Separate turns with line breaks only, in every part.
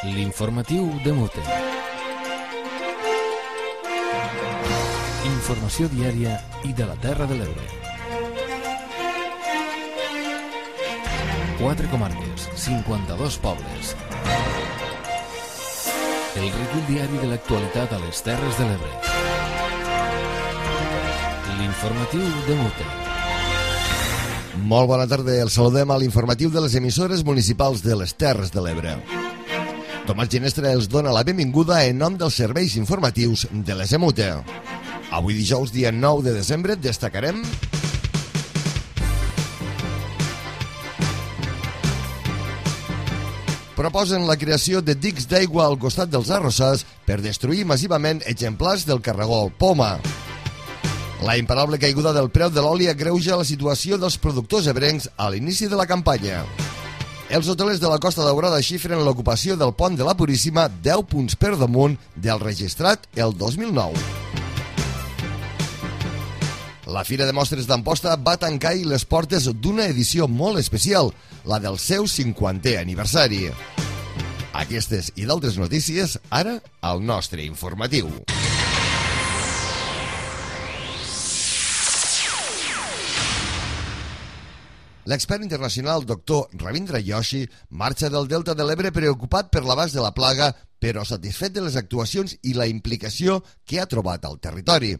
L'informatiu de Mute. Informació diària i de la Terra de l'Ebre. 4 comarques, 52 pobles. El recull diari de l'actualitat a les Terres de l'Ebre. L'informatiu de Mute.
Molt bona tarda, el saludem a l'informatiu de les emissores municipals de les Terres de l'Ebre. Tomàs Ginestra els dona la benvinguda en nom dels serveis informatius de les EMUTE. Avui dijous, dia 9 de desembre, destacarem... Proposen la creació de dics d'aigua al costat dels arrossars per destruir massivament exemplars del caragol poma. La imparable caiguda del preu de l'oli agreuja la situació dels productors ebrencs a l'inici de la campanya. Els hotelers de la Costa Daurada xifren l'ocupació del pont de la Puríssima 10 punts per damunt del registrat el 2009. La Fira de Mostres d'Amposta va tancar les portes d'una edició molt especial, la del seu 50è aniversari. Aquestes i d'altres notícies, ara, al nostre informatiu. L'expert internacional Dr. Ravindra Joshi marxa del Delta de l'Ebre preocupat per l'abast de la plaga, però satisfet de les actuacions i la implicació que ha trobat al territori.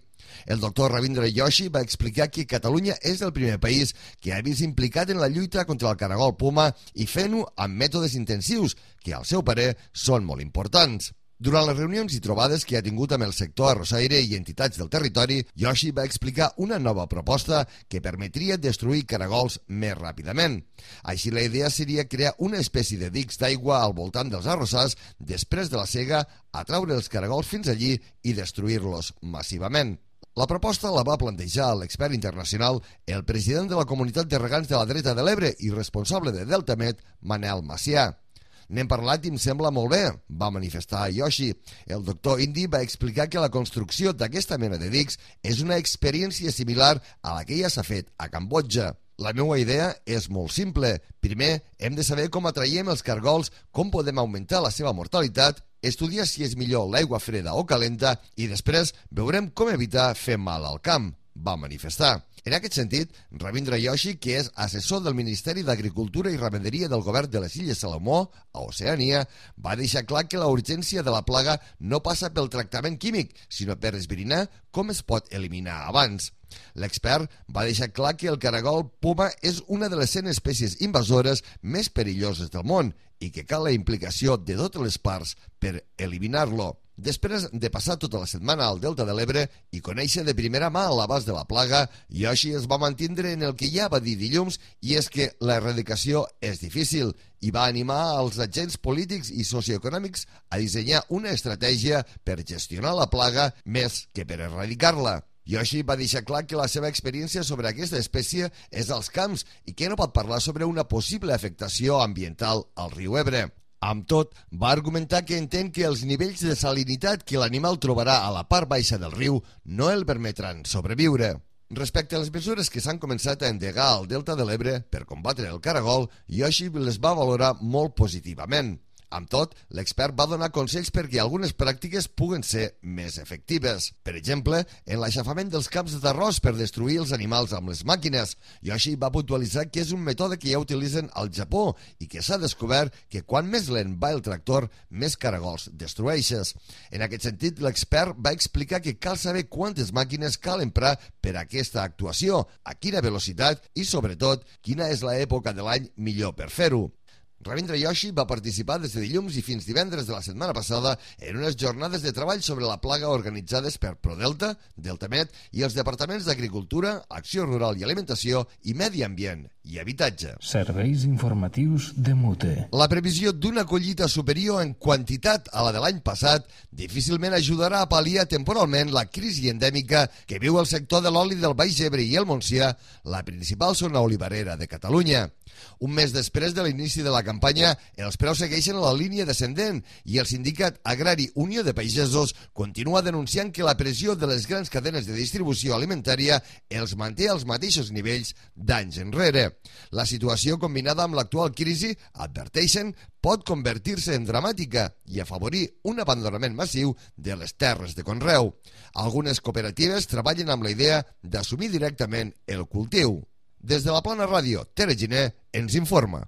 El doctor Ravindra Joshi va explicar que Catalunya és el primer país que ha vist implicat en la lluita contra el caragol poma i fent-ho amb mètodes intensius, que al seu parer són molt importants. Durant les reunions i trobades que ha tingut amb el sector arrossaire i entitats del territori, Joshi va explicar una nova proposta que permetria destruir caragols més ràpidament. Així, la idea seria crear una espècie de dics d'aigua al voltant dels arrossars després de la sega, atraure els caragols fins allí i destruir-los massivament. La proposta la va plantejar l'expert internacional, el president de la comunitat de regants de la dreta de l'Ebre i responsable de Deltamed, Manel Macià. N'hem parlat i em sembla molt bé, va manifestar Joshi. El doctor Indi va explicar que la construcció d'aquesta mena de dics és una experiència similar a la que ja s'ha fet a Cambodja. La meva idea és molt simple. Primer, hem de saber com atraiem els caragols, com podem augmentar la seva mortalitat, estudiar si és millor l'aigua freda o calenta i després veurem com evitar fer mal al camp, va manifestar. En aquest sentit, Ravindra Joshi, que és assessor del Ministeri d'Agricultura i Ramaderia del Govern de les Illes Salomó, a Oceania, va deixar clar que la urgència de la plaga no passa pel tractament químic, sinó per esbrinar com es pot eliminar abans. L'expert va deixar clar que el caragol poma és una de les 100 espècies invasores més perilloses del món i que cal la implicació de totes les parts per eliminar-lo. Després de passar tota la setmana al Delta de l'Ebre i conèixer de primera mà l'abast de la plaga, Joshi es va mantindre en el que ja va dir dilluns, i és que l'erradicació és difícil, i va animar als agents polítics i socioeconòmics a dissenyar una estratègia per gestionar la plaga més que per erradicar-la. Joshi va deixar clar que la seva experiència sobre aquesta espècie és als camps i que no pot parlar sobre una possible afectació ambiental al riu Ebre. Amb tot, va argumentar que entén que els nivells de salinitat que l'animal trobarà a la part baixa del riu no el permetran sobreviure. Respecte a les mesures que s'han començat a endegar al Delta de l'Ebre per combatre el caragol, Joshi les va valorar molt positivament. Amb tot, l'expert va donar consells perquè algunes pràctiques puguen ser més efectives. Per exemple, en l'aixafament dels camps d'arròs per destruir els animals amb les màquines. Joshi va puntualitzar que és un mètode que ja utilitzen al Japó i que s'ha descobert que quan més lent va el tractor, més caragols destrueixes. En aquest sentit, l'expert va explicar que cal saber quantes màquines cal emprar per a aquesta actuació, a quina velocitat i, sobretot, quina és l'època de l'any millor per fer-ho. Ravindra Joshi va participar des de dilluns i fins divendres de la setmana passada en unes jornades de treball sobre la plaga organitzades per Prodelta, Deltamed i els departaments d'Agricultura, Acció Rural i Alimentació i Medi Ambient i Habitatge.
Serveis informatius de Mute.
La previsió d'una collita superior en quantitat a la de l'any passat difícilment ajudarà a pal·liar temporalment la crisi endèmica que viu el sector de l'oli del Baix Ebre i el Montsià, la principal zona olivarera de Catalunya. Un mes després de l'inici de la campanya, els preus segueixen a la línia descendent i el sindicat agrari Unió de Pagesos continua denunciant que la pressió de les grans cadenes de distribució alimentària els manté als mateixos nivells d'anys enrere. La situació, combinada amb l'actual crisi, adverteixen, pot convertir-se en dramàtica i afavorir un abandonament massiu de les terres de conreu. Algunes cooperatives treballen amb la idea d'assumir directament el cultiu. Des de la Plana Ràdio, Tere Giner ens informa.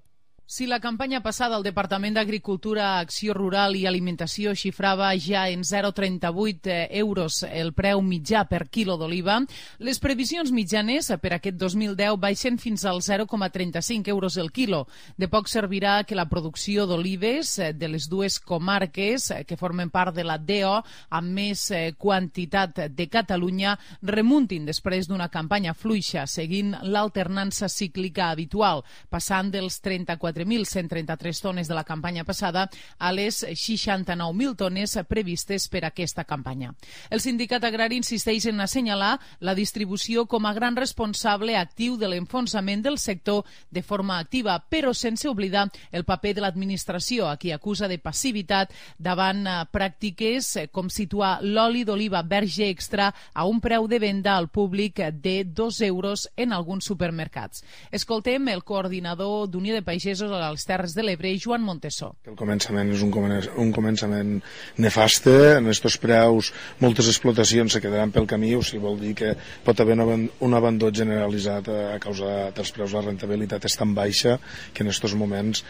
Si la campanya passada el Departament d'Agricultura, Acció Rural i Alimentació xifrava ja en 0,38 euros el preu mitjà per quilo d'oliva, les previsions mitjanes per aquest 2010 baixen fins als 0,35 euros el quilo. De poc servirà que la producció d'olives de les dues comarques que formen part de la DO amb més quantitat de Catalunya remuntin després d'una campanya fluixa seguint l'alternança cíclica habitual, passant dels 34.133 tones de la campanya passada a les 69.000 tones previstes per aquesta campanya. El sindicat agrari insisteix en assenyalar la distribució com a gran responsable actiu de l'enfonsament del sector de forma activa, però sense oblidar el paper de l'administració, a qui acusa de passivitat davant pràctiques com situar l'oli d'oliva verge extra a un preu de venda al públic de 2 euros en alguns supermercats. Escoltem el coordinador d'Unió de Pagesos a les Terres de l'Ebre, Joan Montesó.
El començament és un començament nefaste. En aquests preus moltes explotacions se quedaran pel camí, o sigui, vol dir que pot haver un abandó generalitzat a causa dels preus. La rentabilitat és tan baixa que en aquests moments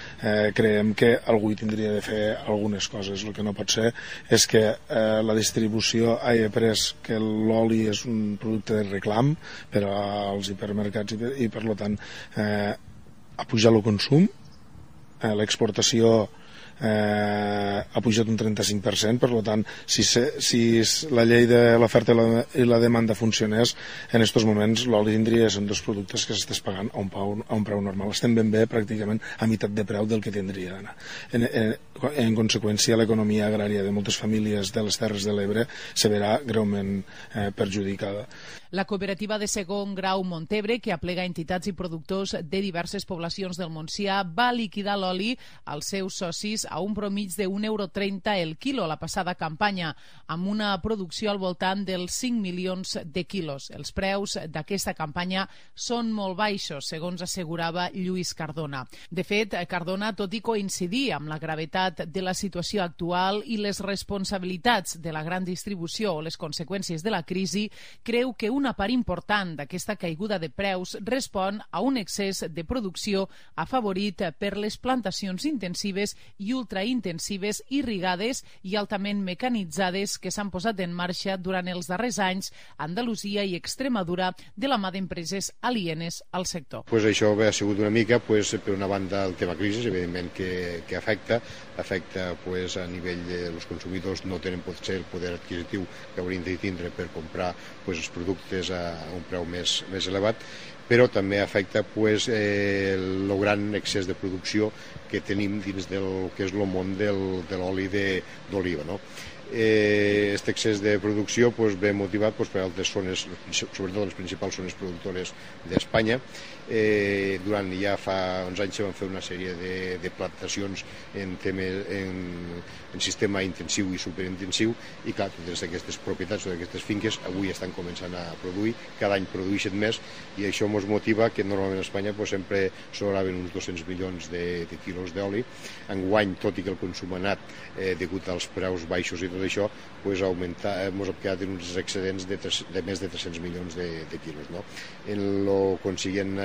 creiem que algú hi tindria de fer algunes coses. El que no pot ser és que la distribució hagi pres que l'oli és un producte de reclam per als hipermercats i per tant ha pujat el consum, l'exportació ha pujat un 35%, per tant, si la llei de l'oferta i la demanda funcionés, en aquests moments l'oli tindria són dos productes que s'estàs pagant a un preu normal. Estem ben bé pràcticament a meitat de preu del que tindria d'anar. En conseqüència, l'economia agrària de moltes famílies de les Terres de l'Ebre se verà greument perjudicada.
La cooperativa de segon grau Montebre, que aplega entitats i productors de diverses poblacions del Montsià, va liquidar l'oli als seus socis a un promig de 1,30 € el quilo la passada campanya, amb una producció al voltant dels 5 milions de quilos. Els preus d'aquesta campanya són molt baixos, segons assegurava Lluís Cardona. De fet, Cardona, tot i coincidir amb la gravetat de la situació actual i les responsabilitats de la gran distribució o les conseqüències de la crisi, creu que una part important d'aquesta caiguda de preus respon a un excés de producció afavorit per les plantacions intensives i ultraintensives irrigades i altament mecanitzades que s'han posat en marxa durant els darrers anys a Andalusia i Extremadura de la mà d'empreses alienes al sector.
Això ha sigut una mica, per una banda, el tema crisi, evidentment que afecta a nivell dels consumidors no tenen potser el poder adquisitiu que haurien de tindre per comprar els productes a un preu més elevat, però també afecta el gran excés de producció que tenim dins del que és el món de l'oli d'oliva. Aquest excés de producció ve motivat per altres zones, sobretot les principals zones productores d'Espanya. Durant ja fa uns anys se van fer una sèrie de plantacions en sistema intensiu i superintensiu i clar, totes aquestes propietats o aquestes finques avui estan començant a produir, cada any produeixen més i això ens motiva que normalment a Espanya sempre sobraven uns 200 milions de quilos d'oli. Enguany, tot i que el consum ha anat degut als preus baixos i tot això, ens hem quedat en uns excedents de més de 300 milions de quilos. En la consiguient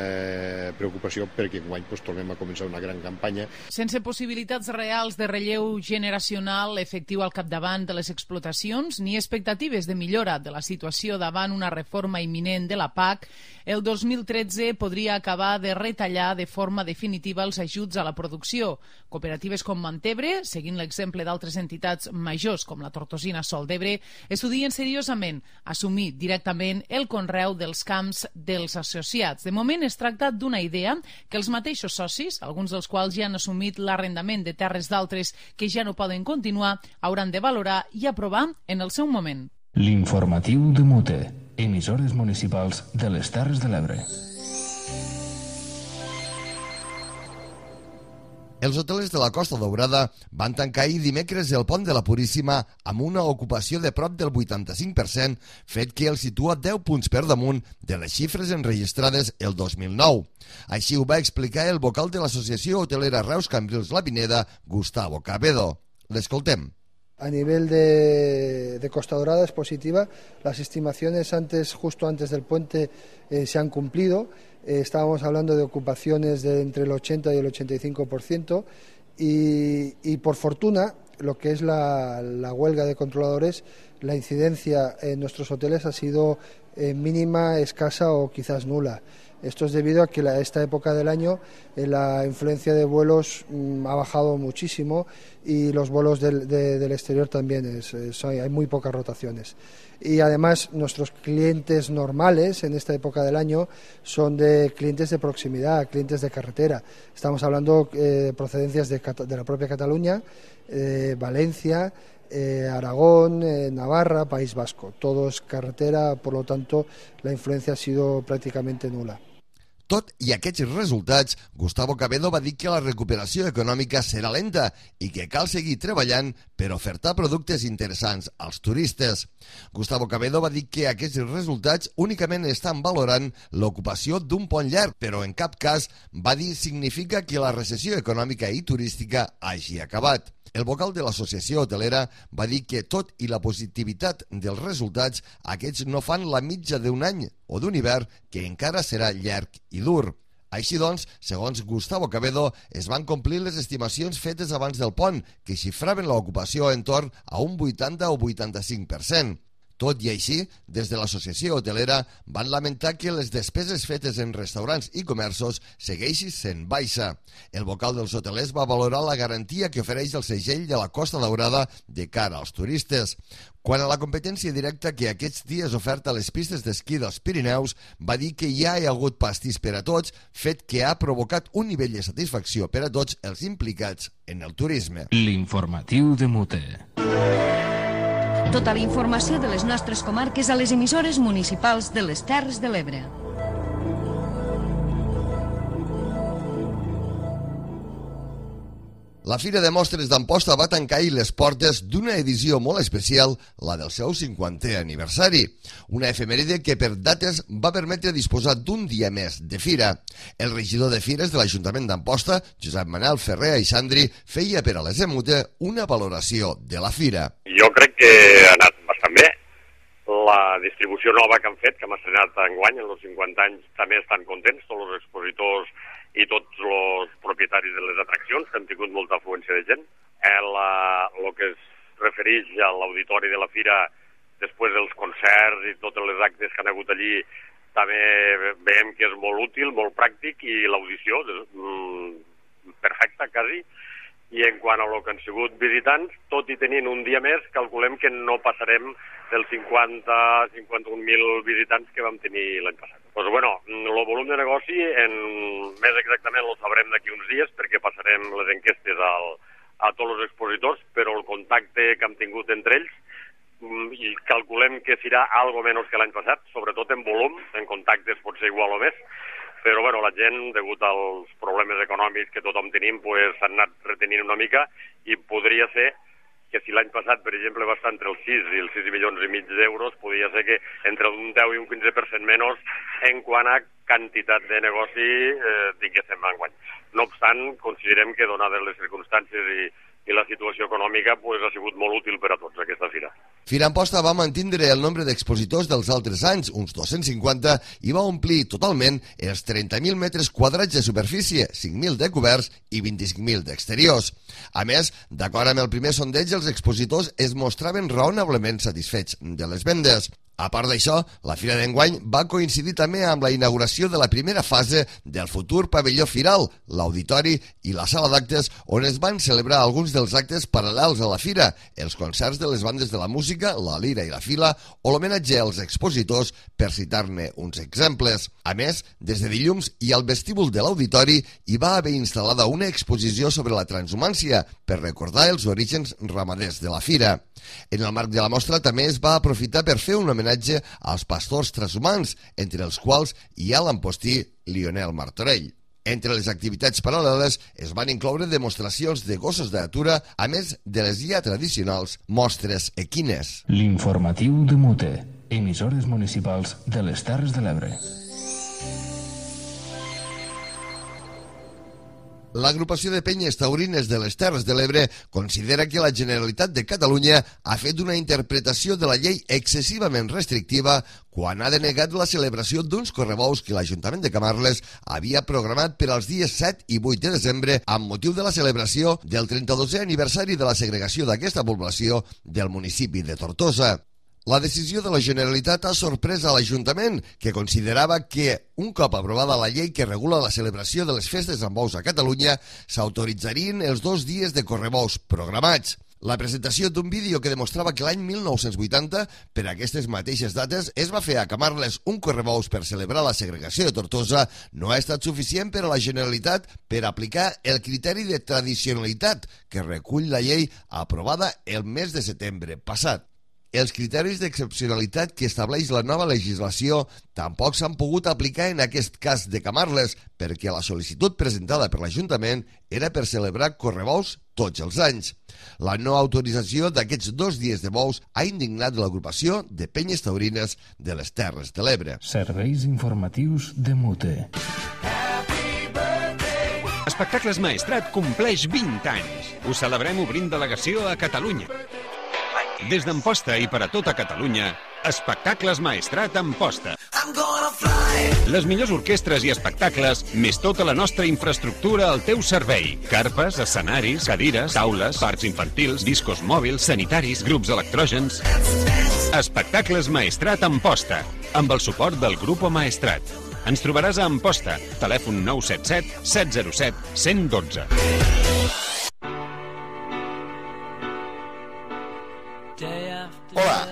preocupació perquè enguany tornem a començar una gran campanya.
Sense possibilitats reals de relleu generacional efectiu al capdavant de les explotacions ni expectatives de millora de la situació davant una reforma imminent de la PAC, el 2013 podria acabar de retallar de forma definitiva els ajuts a la producció. Cooperatives com Montebre, seguint l'exemple d'altres entitats majors com la Tortosina Sol d'Ebre, estudien seriosament assumir directament el conreu dels camps dels associats. De moment es tracta d'una idea que els mateixos socis, alguns dels quals ja han assumit l'arrendament de terres d'altres que ja no poden continuar, hauran de valorar i aprovar en el seu moment.
L'informatiu de Mute, emissores municipals de les Terres de l'Ebre.
Els hotelers de la Costa Daurada van tancar ahir dimecres el pont de la Puríssima amb una ocupació de prop del 85%, fet que el situa 10 punts per damunt de les xifres enregistrades el 2009. Així ho va explicar el vocal de l'Associació Hotelera Reus Cambrils La Pineda, Gustavo Cabedo. L'escoltem.
A nivel de Costa Dorada es positiva. Las estimaciones justo antes del puente se han cumplido. Estábamos hablando de ocupaciones de entre el 80 y el 85% y por fortuna, lo que es la huelga de controladores, la incidencia en nuestros hoteles ha sido mínima, escasa o quizás nula. Esto es debido a que esta época del año la influencia de vuelos ha bajado muchísimo y los vuelos del exterior también hay muy pocas rotaciones. Y además nuestros clientes normales en esta época del año son de clientes de proximidad, clientes de carretera. Estamos hablando de procedencias de la propia Cataluña, Valencia, Aragón, Navarra, País Vasco. Todo es carretera, por lo tanto la influencia ha sido prácticamente nula.
Tot i aquests resultats, Gustavo Cabedo va dir que la recuperació econòmica serà lenta i que cal seguir treballant per ofertar productes interessants als turistes. Gustavo Cabedo va dir que aquests resultats únicament estan valorant l'ocupació d'un pont llarg, però en cap cas va dir significa que la recessió econòmica i turística hagi acabat. El vocal de l'associació hotelera va dir que tot i la positivitat dels resultats, aquests no fan la mitja d'un any o d'un hivern que encara serà llarg i dur. Així doncs, segons Gustavo Cabedo, es van complir les estimacions fetes abans del pont, que xifraven l'ocupació en torn a un 80 o 85%. Tot i així, des de l'associació hotelera van lamentar que les despeses fetes en restaurants i comerços segueixin sent baixa. El vocal dels hotelers va valorar la garantia que ofereix el segell de la Costa Daurada de cara als turistes. Quant a la competència directa que aquests dies oferta a les pistes d'esquí dels Pirineus, va dir que ja hi ha hagut pastís per a tots, fet que ha provocat un nivell de satisfacció per a tots els implicats en el turisme.
L'informatiu de Mute.
Tota la informació de les nostres comarques a les emissores municipals de les Terres de l'Ebre.
La Fira de Mostres d'Amposta va tancar ahir les portes d'una edició molt especial, la del seu 50è aniversari. Una efemèride que per dates va permetre disposar d'un dia més de fira. El regidor de Fires de l'Ajuntament d'Amposta, Josep Manel Ferrer Aixandri, feia per a les EMUTE una valoració de la fira.
Jo crec que ha anat bastant bé. La distribució nova que han fet, que hem estrenat enguany, en els 50 anys, també estan contents, tots els expositors i tots els propietaris de les atraccions, que han tingut molta afluència de gent. El que es refereix a l'auditori de la fira, després dels concerts i tots els actes que han hagut allí, també veiem que és molt útil, molt pràctic, i l'audició perfecta, quasi. I en quant a lo que han sigut visitants, tot i tenint un dia més, calculem que no passarem dels 50-51.000 visitants que vam tenir l'any passat. Doncs bueno, el volum de negoci, més exactament lo sabrem d'aquí uns dies, perquè passarem les enquestes a tots els expositors, però el contacte que hem tingut entre ells, i calculem que serà algo menys que l'any passat, sobretot en volum, en contactes pot ser igual o més, però bueno, la gent, degut als problemes econòmics que tothom tenim, s'han anat retenint una mica, i podria ser que si l'any passat, per exemple, va estar entre els 6 i els 6 milions i mig d'euros, podria ser que entre un 10 i un 15% menys en quant a quantitat de negoci tinguéssim enguany. No obstant, considerem que, donades les circumstàncies i la situació econòmica, ha sigut molt útil per a tots aquesta fira.
Fira Amposta va mantindre el nombre d'expositors dels altres anys, uns 250, i va omplir totalment els 30.000 metres quadrats de superfície, 5.000 de coberts i 25.000 d'exteriors. A més, d'acord amb el primer sondeig, els expositors es mostraven raonablement satisfets de les vendes. A part d'això, la Fira d'enguany va coincidir també amb la inauguració de la primera fase del futur pavelló firal, l'auditori i la sala d'actes, on es van celebrar alguns dels actes paral·lels a la fira, els concerts de les bandes de la música, la lira i la fila, o l'homenatge als expositors, per citar-ne uns exemples. A més, des de dilluns i al vestíbul de l'auditori hi va haver instal·lada una exposició sobre la transhumància per recordar els orígens ramaders de la fira. En el marc de la mostra també es va aprofitar per fer un homenatge als pastors transhumants, entre els quals hi ha l'ampostí Lionel Martorell. Entre les activitats paral·leles es van incloure demostracions de gossos de natura, a més de les ja tradicionals mostres equines.
L'informatiu de Mute, emissores municipals de les Terres de l'Ebre.
L'agrupació de penyes taurines de les Terres de l'Ebre considera que la Generalitat de Catalunya ha fet una interpretació de la llei excessivament restrictiva quan ha denegat la celebració d'uns correbous que l'Ajuntament de Camarles havia programat per als dies 7 i 8 de desembre amb motiu de la celebració del 32è aniversari de la segregació d'aquesta població del municipi de Tortosa. La decisió de la Generalitat ha sorprès a l'Ajuntament, que considerava que, un cop aprovada la llei que regula la celebració de les festes amb bous a Catalunya, s'autoritzarien els 2 dies de correbous programats. La presentació d'un vídeo que demostrava que l'any 1980, per aquestes mateixes dates, es va fer a Camarles un correbous per celebrar la segregació de Tortosa, no ha estat suficient per a la Generalitat per aplicar el criteri de tradicionalitat que recull la llei aprovada el mes de setembre passat. Els criteris d'excepcionalitat que estableix la nova legislació tampoc s'han pogut aplicar en aquest cas de Camarles, perquè la sol·licitud presentada per l'Ajuntament era per celebrar correbous tots els anys. La no autorització d'aquests 2 dies de bous ha indignat l'agrupació de penyes taurines de les Terres de l'Ebre.
Serveis informatius de Mute.
Espectacles Maestrat compleix 20 anys. Ho celebrem obrint delegació a Catalunya. Des d'Amposta i per a tota Catalunya, Espectacles Maestrat Amposta. Les millors orquestres i espectacles, més tota la nostra infraestructura al teu servei. Carpes, escenaris, cadires, taules, parcs infantils, discos mòbils, sanitaris, grups electrògens. Espectacles Maestrat Amposta, amb el suport del Grupo Maestrat. Ens trobaràs a Amposta, telèfon 977 707 112.
Hola,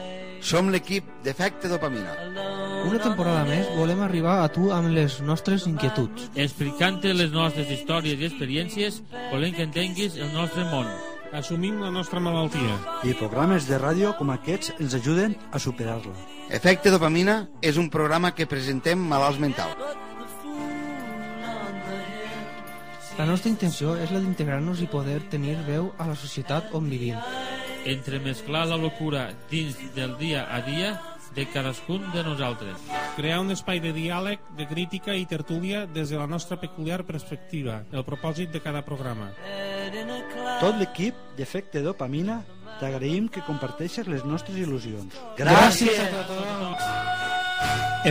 som l'equip d'Efecte Dopamina.
Una temporada més volem arribar a tu amb les nostres inquietuds.
Explicant-te les nostres històries i experiències, volem que entenguis el nostre món.
Assumim la nostra malaltia.
I programes de ràdio com aquests ens ajuden a superar-la.
Efecte Dopamina és un programa que presentem malalts mentals.
La nostra intenció és la d'integrar-nos i poder tenir veu a la societat on vivim.
Entremesclar la locura dins del dia a dia de cadascun de nosaltres.
Crear un espai de diàleg, de crítica i tertúlia des de la nostra peculiar perspectiva, el propòsit de cada programa.
Tot l'equip d'Efecte Dopamina t'agraïm que comparteixes les nostres il·lusions.
Gràcies a tothom!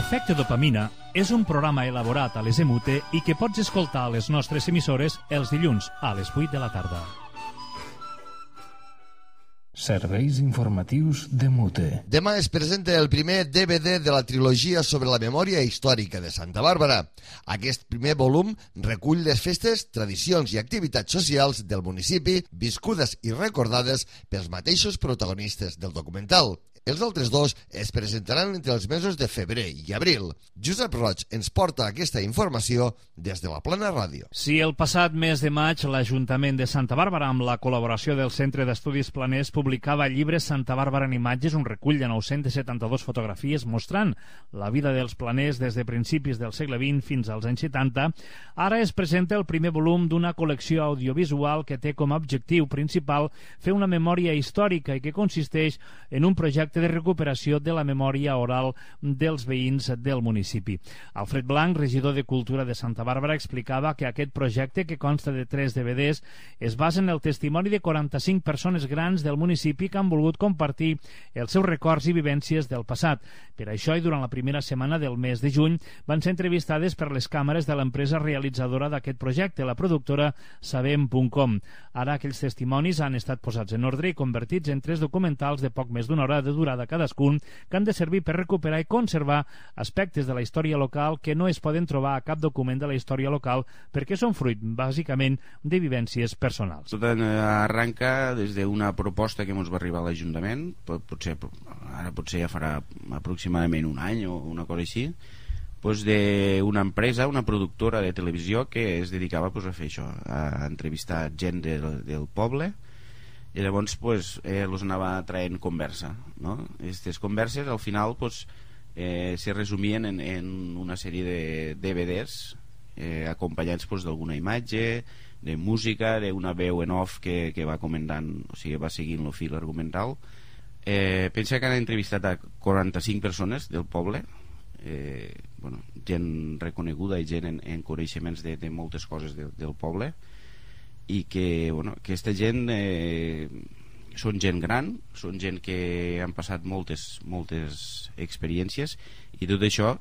Efecte Dopamina és un programa elaborat a les EMUTE i que pots escoltar a les nostres emissores els dilluns a les 8 de la tarda.
Serveis informatius de Mute.
Demà es presenta el primer DVD de la trilogia sobre la memòria històrica de Santa Bàrbara. Aquest primer volum recull les festes, tradicions i activitats socials del municipi viscudes i recordades pels mateixos protagonistes del documental. Els altres 2 es presentaran entre els mesos de febrer i abril. Josep Roig ens porta aquesta informació des de la Plana Ràdio.
Si el passat mes de maig l'Ajuntament de Santa Bàrbara, amb la col·laboració del Centre d'Estudis Planers, publicava el llibre Santa Bàrbara en imatges, un recull de 972 fotografies mostrant la vida dels planers des de principis del segle XX fins als anys 70, ara es presenta el primer volum d'una col·lecció audiovisual que té com a objectiu principal fer una memòria històrica i que consisteix en un projecte de recuperació de la memòria oral dels veïns del municipi. Alfred Blanc, regidor de Cultura de Santa Bàrbara, explicava que aquest projecte, que consta de 3 DVDs, es basa en el testimoni de 45 persones grans del municipi que han volgut compartir els seus records i vivències del passat. Per això, i durant la primera setmana del mes de juny, van ser entrevistades per les càmeres de l'empresa realitzadora d'aquest projecte, la productora Sabem.com. Ara aquells testimonis han estat posats en ordre i convertits en 3 documentals de poc més d'una hora de durada cadascun, que han de servir per recuperar i conservar aspectes de la història local que no es poden trobar a cap document de la història local perquè són fruit, bàsicament, de vivències personals.
Tot arranca des d'una proposta que ens va arribar a l'Ajuntament, ara potser ja farà aproximadament un any o una cosa així, d'una empresa, una productora de televisió que es dedicava a fer això, a entrevistar gent del poble, i llavors els anava traient conversa, no? Aquestes converses al final se resumien en una sèrie de DVDs acompanyats d'alguna imatge, de música, d'una veu en off que va comentant, o sigui, va seguint el fil argumental. Pensa que han entrevistat a 45 persones del poble, gent reconeguda i gent en coneixements de moltes coses del poble, i que aquesta gent són gent gran, són gent que han passat moltes experiències, i tot això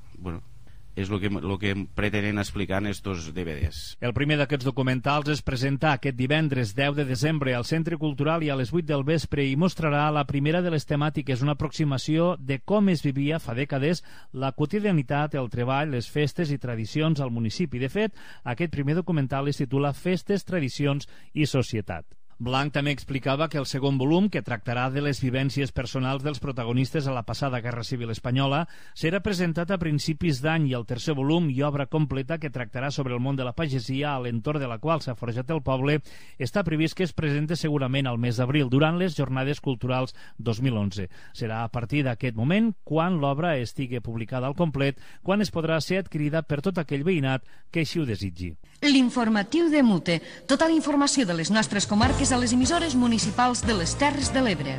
és el que pretenen explicar en estos DVDs.
El primer d'aquests documentals es presenta aquest divendres 10 de desembre al Centre Cultural i a les 8 del vespre i mostrarà la primera de les temàtiques, una aproximació de com es vivia fa dècades la quotidianitat, el treball, les festes i tradicions al municipi. De fet, aquest primer documental es titula Festes, Tradicions i Societat. Blanc també explicava que el segon volum, que tractarà de les vivències personals dels protagonistes a la passada Guerra Civil Espanyola, serà presentat a principis d'any, i el tercer volum i obra completa, que tractarà sobre el món de la pagesia a l'entorn de la qual s'ha forjat el poble, està previst que es presente segurament al mes d'abril, durant les Jornades Culturals 2011. Serà a partir d'aquest moment, quan l'obra estigui publicada al complet, quan es podrà ser adquirida per tot aquell veïnat que així ho desitgi.
L'informatiu de Mute. Tota la informació de les nostres comarques a les emissores municipals de les Terres de l'Ebre.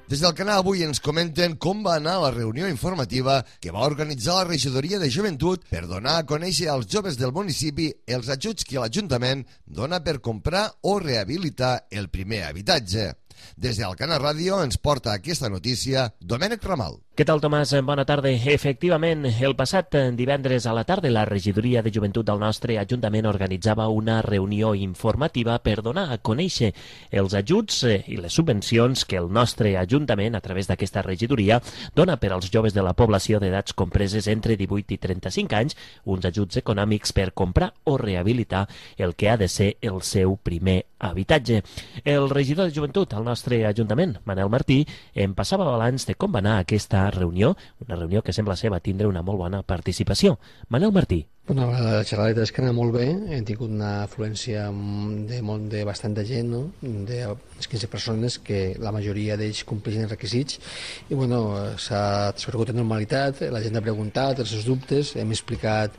Des del canal avui ens comenten com va anar la reunió informativa que va organitzar la Regidoria de Joventut per donar a conèixer als joves del municipi els ajuts que l'Ajuntament dona per comprar o rehabilitar el primer habitatge. Des del Canal Ràdio ens porta aquesta notícia Domènec Ramal.
Què tal, Tomàs? Bona tarda. Efectivament, el passat divendres a la tarda la Regidoria de Joventut del nostre Ajuntament organitzava una reunió informativa per donar a conèixer els ajuts i les subvencions que el nostre Ajuntament, a través d'aquesta regidoria, dona per als joves de la població d'edats compreses entre 18 i 35 anys, uns ajuts econòmics per comprar o rehabilitar el que ha de ser el seu primer habitatge. El regidor de Joventut al nostre Ajuntament, Manel Martí, em passava balanç de com va anar aquesta reunió, una reunió que sembla ser va tindre una molt bona participació. Manel Martí.
Bueno, la xerrada és que anava molt bé, hem tingut una afluència de bastanta gent, no? De 15 persones, que la majoria d'ells compleixen els requisits, i bueno, s'ha transcorregut en normalitat, la gent ha preguntat els seus dubtes, hem explicat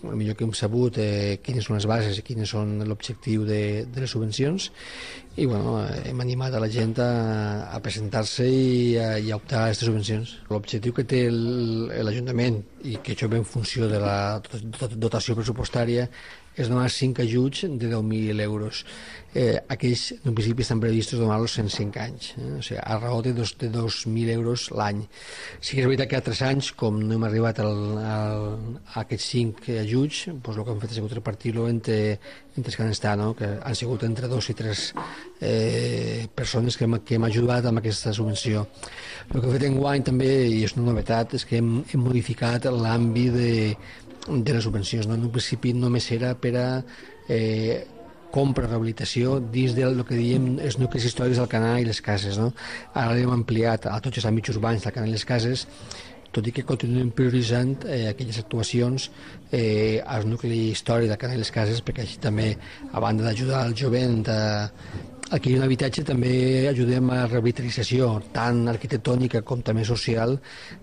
el millor que hem sabut quines són les bases i quines són l'objectiu de les subvencions, i bueno, hem animat a la gent a presentar-se i a optar a aquestes subvencions. L'objectiu que té l'Ajuntament, i que això ve en funció de la dotació pressupostària, és donar 5 ajuts de 10.000 euros. Aquells, en principi, estan previstos donar-los en 5 anys, o sigui, a raó de 2.000 euros l'any. Sí que és veritat que a 3 anys, com no hem arribat a aquests 5 ajuts, doncs el que hem fet ha sigut repartir-lo entre els que han estat, no? Que han sigut entre 2 i 3 persones que hem ajudat amb aquesta subvenció. El que hem fet enguany també, i és una novetat, és que hem modificat l'àmbit de les subvencions, no? En un principi només era per a compra, rehabilitació dins del que diem els nuclis històrics del Canà i les cases, no? Ara l'hem ampliat a tots els àmbits urbans del Canà i les cases, tot i que continuem prioritzant aquelles actuacions al nucli històric del Canà i les cases, perquè així també, a banda d'ajudar el jovent a adquirir un habitatge, també ajudem a la revitalització tant arquitectònica com també social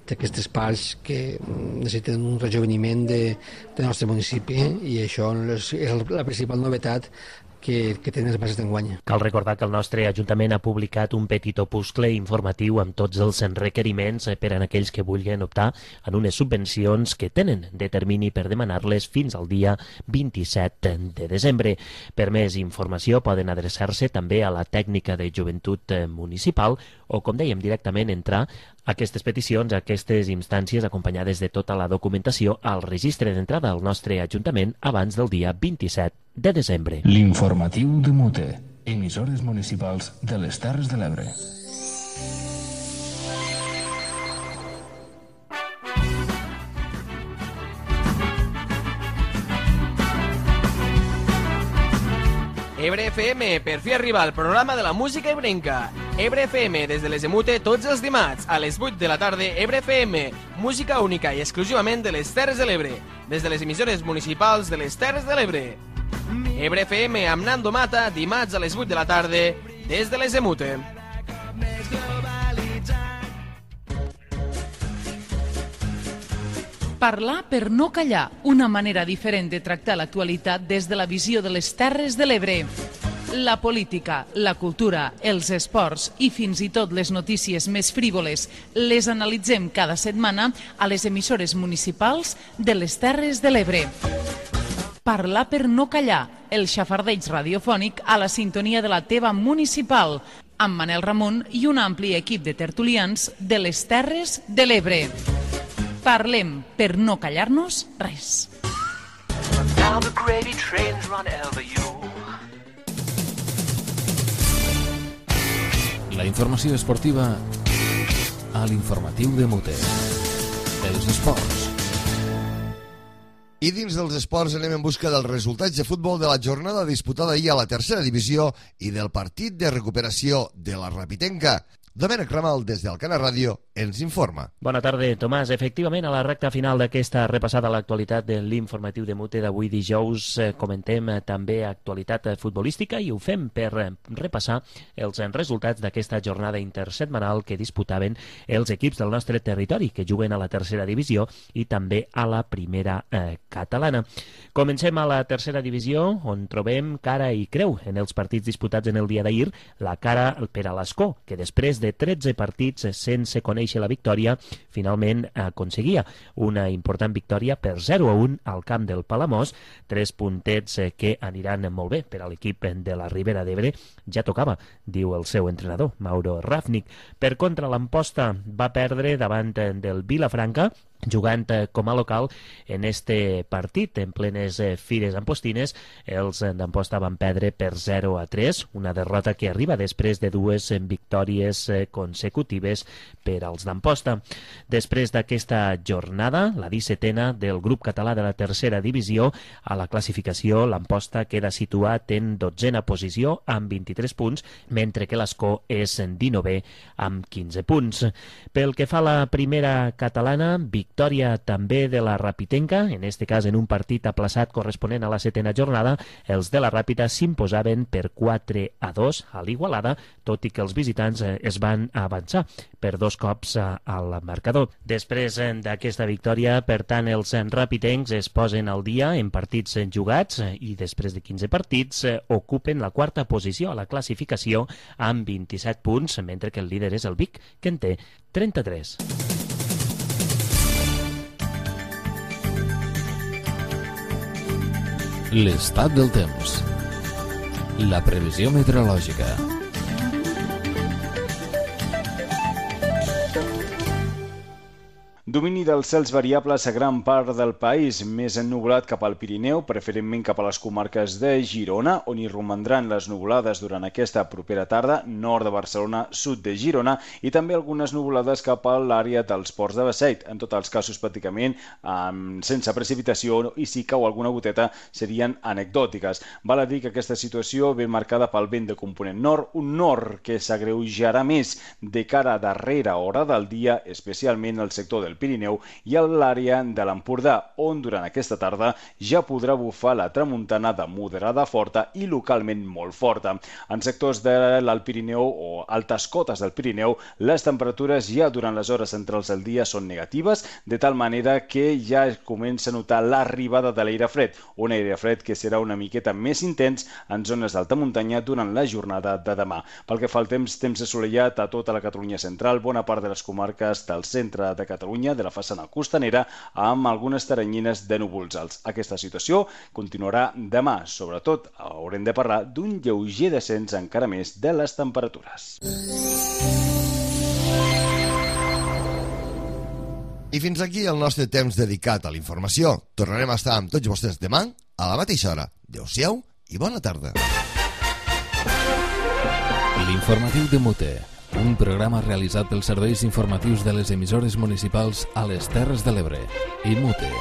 d'aquestes parts que necessiten un rejoveniment del nostre municipi, i això és la principal novetat que tenen les bases d'enguany.
Cal recordar que el nostre Ajuntament ha publicat un petit opuscle informatiu amb tots els requeriments per a aquells que vulguin optar en unes subvencions que tenen de termini per demanar-les fins al dia 27 de desembre. Per més informació poden adreçar-se també a la tècnica de joventut municipal o, com dèiem, directament entrar a aquestes peticions, a aquestes instàncies acompanyades de tota la documentació al registre d'entrada al nostre Ajuntament abans del dia 27 de desembre.
L'informatiu de Mute, emissores municipals de les Terres de l'Ebre.
Ebre FM, per fi arriba al programa de la música ebrenca. Ebre FM, des de les Emute, tots els dimarts, a les 8 de la tarda, Ebre FM, música única i exclusivament de les Terres de l'Ebre, des de les emissores municipals de les Terres de l'Ebre. Ebre FM amb Nando Mata, dimarts a les 8 de la tarda, des de les Emute.
Parlar per no callar, una manera diferent de tractar l'actualitat des de la visió de les Terres de l'Ebre. La política, la cultura, els esports i fins i tot les notícies més frívoles les analitzem cada setmana a les emissores municipals de les Terres de l'Ebre. Parlar per no callar, el xafardeig radiofònic a la sintonia de la teva municipal, amb Manel Ramon i un ampli equip de tertulians de les Terres de l'Ebre. Parlem per no callar-nos res.
La informació esportiva a l'informatiu de Mute. Els esports.
I dins dels esports anem en busca dels resultats de futbol de la jornada disputada ahir a la tercera divisió i del partit de recuperació de la Rapitenca. Domènec Ramal, des del Cana Ràdio, ens informa.
Bona tarda, Tomàs. Efectivament, a la recta final d'aquesta repassada a l'actualitat de l'informatiu de Mute d'avui dijous comentem també actualitat futbolística i ho fem per repassar els resultats d'aquesta jornada intersetmanal que disputaven els equips del nostre territori que juguen a la tercera divisió i també a la primera catalana. Comencem a la tercera divisió on trobem cara i creu en els partits disputats en el dia d'ahir. La cara per a l'Escó, que després de 13 partits sense conèixer la victòria, finalment aconseguia una important victòria per 0-1 al camp del Palamós, 3 puntets que aniran molt bé per a l'equip de la Ribera d'Ebre. Ja tocava, diu el seu entrenador, Mauro Rafnik. Per contra, l'Amposta va perdre davant del Vilafranca, jugant com a local en este partit en plenes fires ampostines. Els d'Amposta van perdre per 0-3, una derrota que arriba després de 2 victòries consecutives per als d'Amposta. Després d'aquesta jornada, la 17a del grup català de la tercera divisió, a la classificació l'Amposta queda situat en 12a posició amb 23 punts, mentre que l'Escó és en 19è amb 15 punts. Pel que fa a la primera catalana, victòria també de la Rapitenca, en este cas en un partit aplaçat corresponent a la 7a jornada. Els de la Ràpita s'imposaven per 4-2 a l'Igualada, tot i que els visitants es van avançar per 2 cops al marcador. Després d'aquesta victòria, per tant, els rapitencs es posen al dia en partits jugats i després de 15 partits ocupen la 4a posició a la classificació amb 27 punts, mentre que el líder és el Vic, que en té 33.
L'estat del temps. La previsió meteorològica.
Domini dels cels variables a gran part del país, més ennuvolat cap al Pirineu, preferentment cap a les comarques de Girona, on hi romandran les nuvolades durant aquesta propera tarda, nord de Barcelona, sud de Girona, i també algunes nuvolades cap a l'àrea dels ports de Beseit. En tots els casos, pràcticament sense precipitació, i si cau alguna goteta serien anecdòtiques. Val a dir que aquesta situació ve marcada pel vent de component nord, un nord que s'agreujarà més de cara a darrera hora del dia, especialment al sector del Pirineu i a l'àrea de l'Empordà, on durant aquesta tarda ja podrà bufar la tramuntana de moderada forta i localment molt forta. En sectors de l'Alt Pirineu o altes cotes del Pirineu, les temperatures ja durant les hores centrals del dia són negatives, de tal manera que ja es comença a notar l'arribada de l'aire fred, un aire fred que serà una miqueta més intens en zones d'alta muntanya durant la jornada de demà. Pel que fa al temps assolellat a tota la Catalunya central, bona part de les comarques del centre de Catalunya, de la façana costanera, amb algunes teranyines de núvols alts. Aquesta situació continuarà demà. Sobretot haurem de parlar d'un lleuger descens encara més de les temperatures.
I fins aquí el nostre temps dedicat a la informació. Tornarem a estar amb tots vostès demà a la mateixa hora. Adéu-siau i bona tarda.
L'informatiu de Mute, un programa realitzat pels serveis informatius de les emissores municipals a les Terres de l'Ebre i Mute.